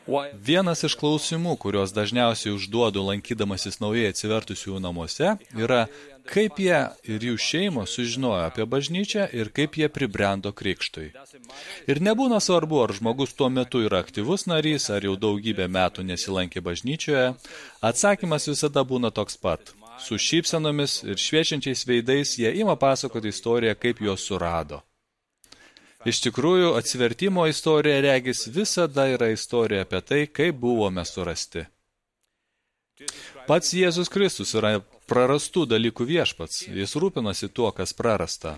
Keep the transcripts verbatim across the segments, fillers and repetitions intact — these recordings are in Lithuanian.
Vienas iš klausimų, kuriuos dažniausiai užduodu lankydamasis naujai atsivertusių namuose, yra, kaip jie ir jų šeimos sužinojo apie bažnyčią ir kaip jie pribrendo krikštui. Ir nebūna svarbu, ar žmogus tuo metu yra aktyvus narys, ar jau daugybę metų nesilankė bažnyčioje, atsakymas visada būna toks pat. Su šypsenomis ir šviečiančiais veidais jie ima pasakoti istoriją, kaip juos surado. Iš tikrųjų, atsivertimo istorija, regis, visada yra istorija apie tai, kaip buvome surasti. Pats Jėzus Kristus yra prarastų dalykų viešpats. Jis rūpinosi tuo, kas prarasta.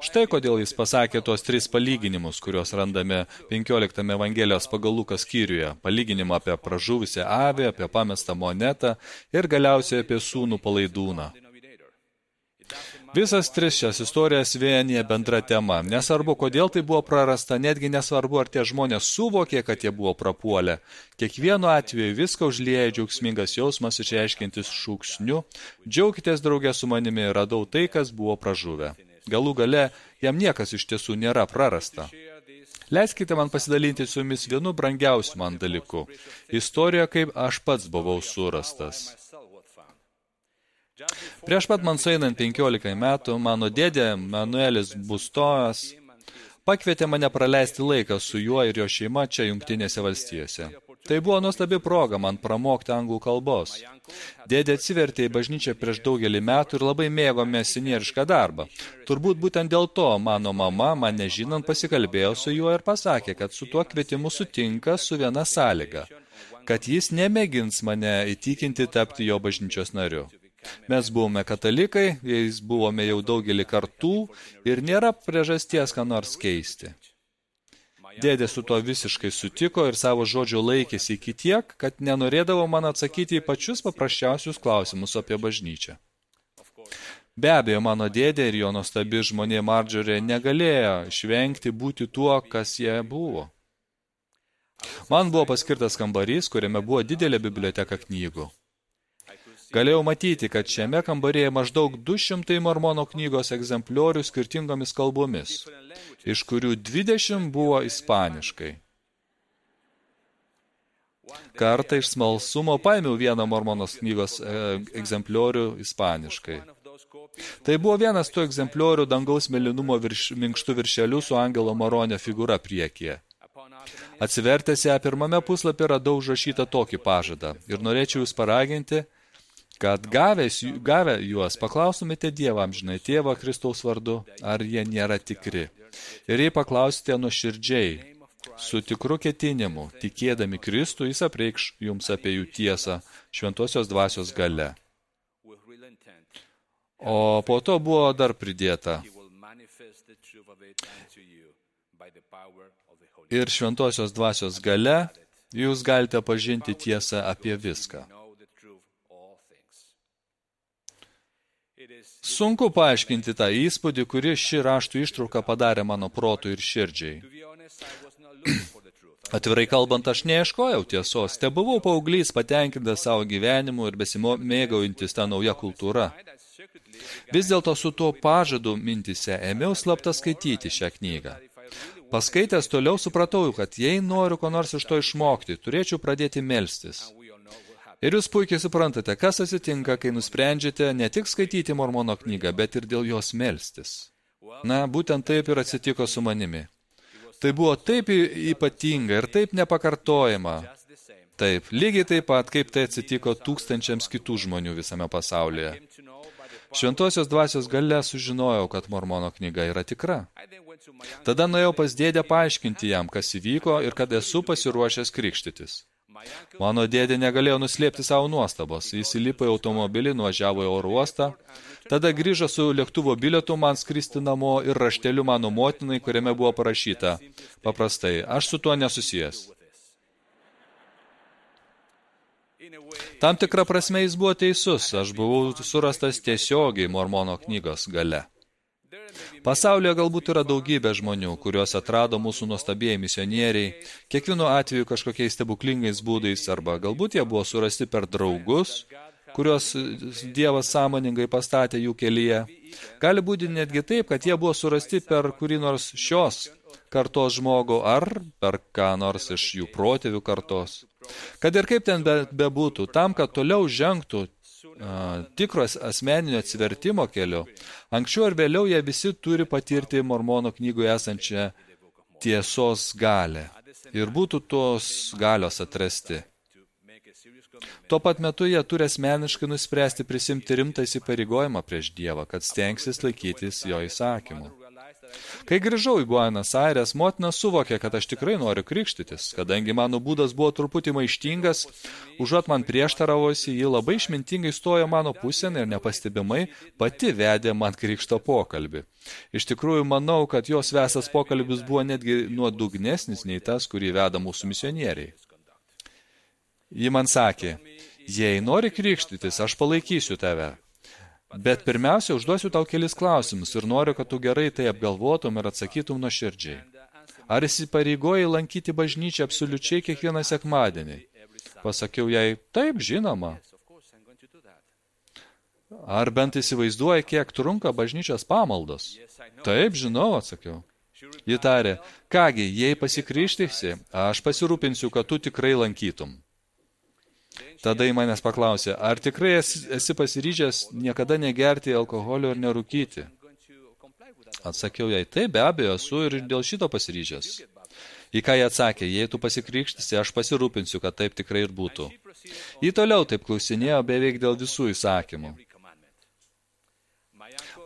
Štai kodėl jis pasakė tuos tris palyginimus, kuriuos randame penkioliktame Evangelijos pagal Luką skyriuje. Palyginimą apie pražuvusią avį, apie pamestą monetą ir galiausiai apie sūnų palaidūną. Visas tris šias istorijas vienyje bendra tema. Nesvarbu, kodėl tai buvo prarasta, netgi nesvarbu, ar tie žmonės suvokė, kad jie buvo prapuolę. Kiekvienu atveju viską užlieja džiaugsmingas jausmas išreiškiantis šūksniu. Džiaukitės draugė su manimi, radau tai, kas buvo pražuvę. Galų gale, jam niekas iš tiesų nėra prarasta. Leiskite man pasidalinti su jumis vienu brangiausiu man dalyku. Istorija, kaip aš pats buvau surastas. Prieš pat man sueinant penkiolika metų, mano dėdė Manuelis Bustojas pakvietė mane praleisti laiką su juo ir jo šeima čia Jungtinėse valstijose. Tai buvo nuostabi proga man pramokti anglų kalbos. Dėdė atsivertė į bažnyčią prieš daugelį metų ir labai mėgo misionierišką darbą. Turbūt būtent dėl to mano mama, man nežinant, pasikalbėjo su juo ir pasakė, kad su tuo kvietimu sutinka su viena sąlyga, kad jis nemėgins mane įtikinti tapti jo bažnyčios nariu. Mes buvome katalikai, jais buvome jau daugelį kartų ir nėra priežasties ką nors keisti. Dėdė su tuo visiškai sutiko ir savo žodžio laikėsi iki tiek, kad nenorėdavo man atsakyti į pačius paprasčiausius klausimus apie bažnyčią. Be abejo, mano dėdė ir jo nuostabi žmonė Marjorie negalėjo išvengti būti tuo, kas jie buvo. Man buvo paskirtas kambarys, kuriame buvo didelė biblioteka knygų. Galėjau matyti, kad šiame kambarėje maždaug du šimtai mormono knygos egzempliorių skirtingomis kalbomis, iš kurių dvidešimt buvo ispaniškai. Kartą iš smalsumo paėmiau vieną mormonos knygos egzempliorių ispaniškai. Tai buvo vienas tų egzempliorių dangaus mėlynumo virš, minkštų viršelių su angelo maronio figūra priekyje. Atsivertęs ją pirmame puslapį radau užrašytą tokį pažadą ir norėčiau jūs paraginti, kad gavęs, gavę juos paklaustumėte Dievą amžinai tėvą Kristaus vardu, ar jie nėra tikri. Ir jei paklausite nuoširdžiai, su tikru ketinimu, tikėdami Kristų, jis apreikš jums apie jų tiesą šventosios dvasios gale. O po to buvo dar pridėta. Ir šventosios dvasios gale jūs galite pažinti tiesą apie viską. Sunku paaiškinti tą įspūdį, kurį ši raštų ištrauka padarė mano protui ir širdžiai. Atvirai kalbant, aš neieškojau tiesos, te buvau paauglys patenkintas savo gyvenimu ir besimėgaujantis tą naują kultūrą. Vis dėlto su tuo pažadu mintise ėmiau slapta skaityti šią knygą. Paskaitęs toliau supratau, kad jei noriu ko nors iš to išmokti, turėčiau pradėti melstis. Ir jūs puikiai suprantate, kas atsitinka, kai nusprendžiate ne tik skaityti mormono knygą, bet ir dėl jos melstis. Na, būtent taip ir atsitiko su manimi. Tai buvo taip ypatinga ir taip nepakartojama. Taip, lygiai taip pat, kaip tai atsitiko tūkstančiams kitų žmonių visame pasaulyje. Šventosios dvasios gale sužinojau, kad mormono knyga yra tikra. Tada nuėjau pas dėdę paaiškinti jam, kas įvyko ir kad esu pasiruošęs krikštytis. Mano dėdė negalėjo nuslėpti savo nuostabos. Jis įlipo į automobilį, nuvažiavo į oro uostą, tada grįžo su lėktuvo bilietu man skristi namo ir rašteliu mano motinai, kuriame buvo parašyta. Paprastai, aš su tuo nesusijęs. Tam tikrą prasme jis buvo teisus, aš buvau surastas tiesiogiai mormono knygos gale. Pasaulyje galbūt yra daugybė žmonių, kuriuos atrado mūsų nuostabieji misionieriai, kiekvienu atveju kažkokiais stebuklingais būdais, arba galbūt jie buvo surasti per draugus, kuriuos Dievas sąmoningai pastatė jų kelyje. Gali būti netgi taip, kad jie buvo surasti per kurį nors šios kartos žmogų ar per ką nors iš jų protėvių kartos. Kad ir kaip ten be, bebūtų, tam, kad toliau žengtų a, tikros asmeninio atsivertimo keliu, anksčiau ar vėliau jie visi turi patirti Mormono knygoje esančią tiesos galę ir būtų tos galios atrasti. Tuo pat metu jie turi asmeniškai nuspręsti prisimti rimtą įsipareigojimą prieš Dievą, kad stengsis laikytis jo įsakymų. Kai grįžau į Buenos Aires, motina suvokė, kad aš tikrai noriu krikštytis, kadangi mano būdas buvo truputį maištingas, užuot man prieštaravosi, ji labai išmintingai stojo mano pusėn ir nepastebimai pati vedė man krikšto pokalbį. Iš tikrųjų, manau, kad jos vestas pokalbis buvo netgi nuodugnesnis nei tas, kurį veda mūsų misionieriai. Ji man sakė, jei nori krikštytis, aš palaikysiu tave. Bet pirmiausia, užduosiu tau kelis klausimus ir noriu, kad tu gerai tai apgalvotum ir atsakytum nuoširdžiai. Ar įsipareigoji lankyti bažnyčią absoliučiai kiekvieną sekmadienį? Pasakiau jai, taip, žinoma. Ar bent įsivaizduoji, kiek trunka bažnyčios pamaldos? Taip, žinau, atsakiau. Ji tarė, kągi, jei pasikrikštysi, aš pasirūpinsiu, kad tu tikrai lankytum. Tada į manęs paklausė, ar tikrai esi, esi pasiryžęs niekada negerti alkoholio ir nerūkyti? Atsakiau jai, taip, be abejo, esu ir dėl šito pasiryžęs. Į ką jie atsakė, jei tu pasikrikštysi, aš pasirūpinsiu, kad taip tikrai ir būtų. Ji toliau taip klausinėjo beveik dėl visų įsakymų.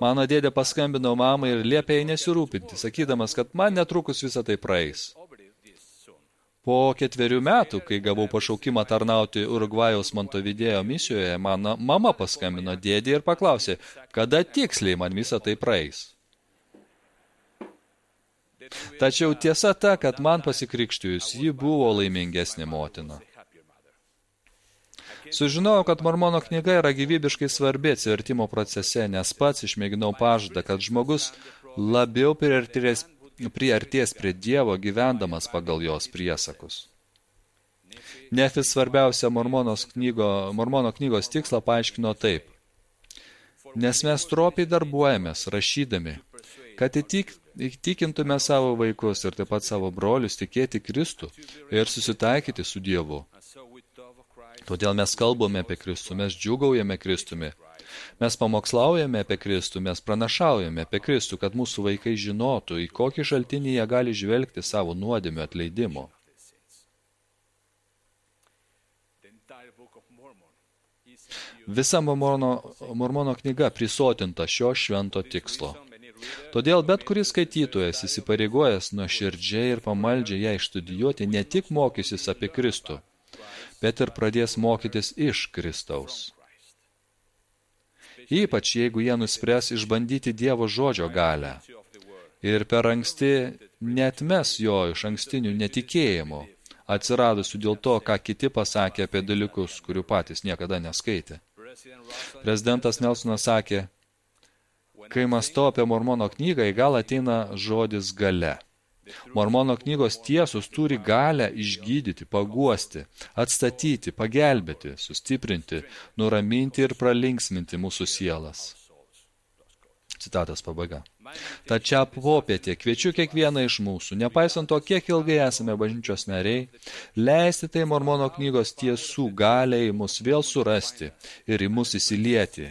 Mano dėdė paskambino mamai ir liepė jai nesirūpinti, sakydamas, kad man netrukus visą tai praeis. Po ketverių metų, kai gavau pašaukimą tarnauti Urugvajaus Montevidėjo misijoje, mano mama paskambino dėdį ir paklausė, kada tiksliai man visą tai praeis. Tačiau tiesa ta, kad man pasikrikštijus, ji buvo laimingesnė motina. Sužinojau, kad Mormono knyga yra gyvybiškai svarbi atsivertimo procese, nes pats išmėginau pažadą, kad žmogus labiau priartės priartės prie Dievo gyvendamas pagal jos priesakus. Nefis svarbiausia Mormonos knygo, Mormono knygos tikslą paaiškino taip. Nes mes stropiai darbuojamės, rašydami, kad įtik, įtikintume savo vaikus ir taip pat savo brolius tikėti Kristų ir susitaikyti su Dievu. Todėl mes kalbame apie Kristų, mes džiūgaujame Kristumi. Mes pamokslaujame apie Kristų, mes pranašaujame apie Kristų, kad mūsų vaikai žinotų, į kokį šaltinį jie gali žvelgti savo nuodėmių atleidimo. Visa Mormono, Mormono knyga prisotinta šio švento tikslo. Todėl bet kuris skaitytojas įsipareigojęs nuoširdžiai ir pamaldžiai ją išstudijuoti ne tik mokysis apie Kristų, bet ir pradės mokytis iš Kristaus. Ypač jeigu jie nuspręs išbandyti Dievo žodžio galę ir per anksti neatmes jo iš ankstinių netikėjimų, atsiradusių dėl to, ką kiti pasakė apie dalykus, kurių patys niekada neskaitė. Prezidentas Nelsonas sakė, kai mąstau apie Mormono knygą, į galą ateina žodis galia. Mormono knygos tiesos turi galę išgydyti, paguosti, atstatyti, pagelbėti, sustiprinti, nuraminti ir pralinksminti mūsų sielas. Citatas pabaiga. Tačiau popietė kviečiu kiekvieną iš mūsų, nepaisant to, kiek ilgai esame bažnyčios nariai, leisti tai Mormono knygos tiesų galiai mus vėl surasti ir į mus įsilieti.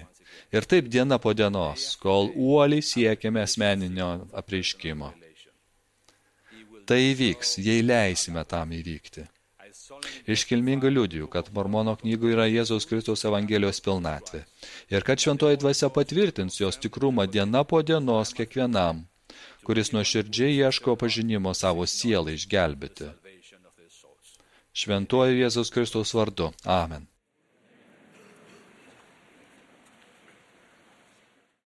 Ir taip diena po dienos, kol uoliai siekiame asmeninio apreiškimo. Tai įvyks, jei leisime tam įvykti. Iškilmingai liudiju, kad Mormono knygų yra Jėzaus Kristaus Evangelijos pilnatvė ir kad šventoji dvasia patvirtins jos tikrumą diena po dienos kiekvienam, kuris nuoširdžiai ieško pažinimo savo sielai išgelbėti. Šventuoju Jėzaus Kristaus vardu. Amen.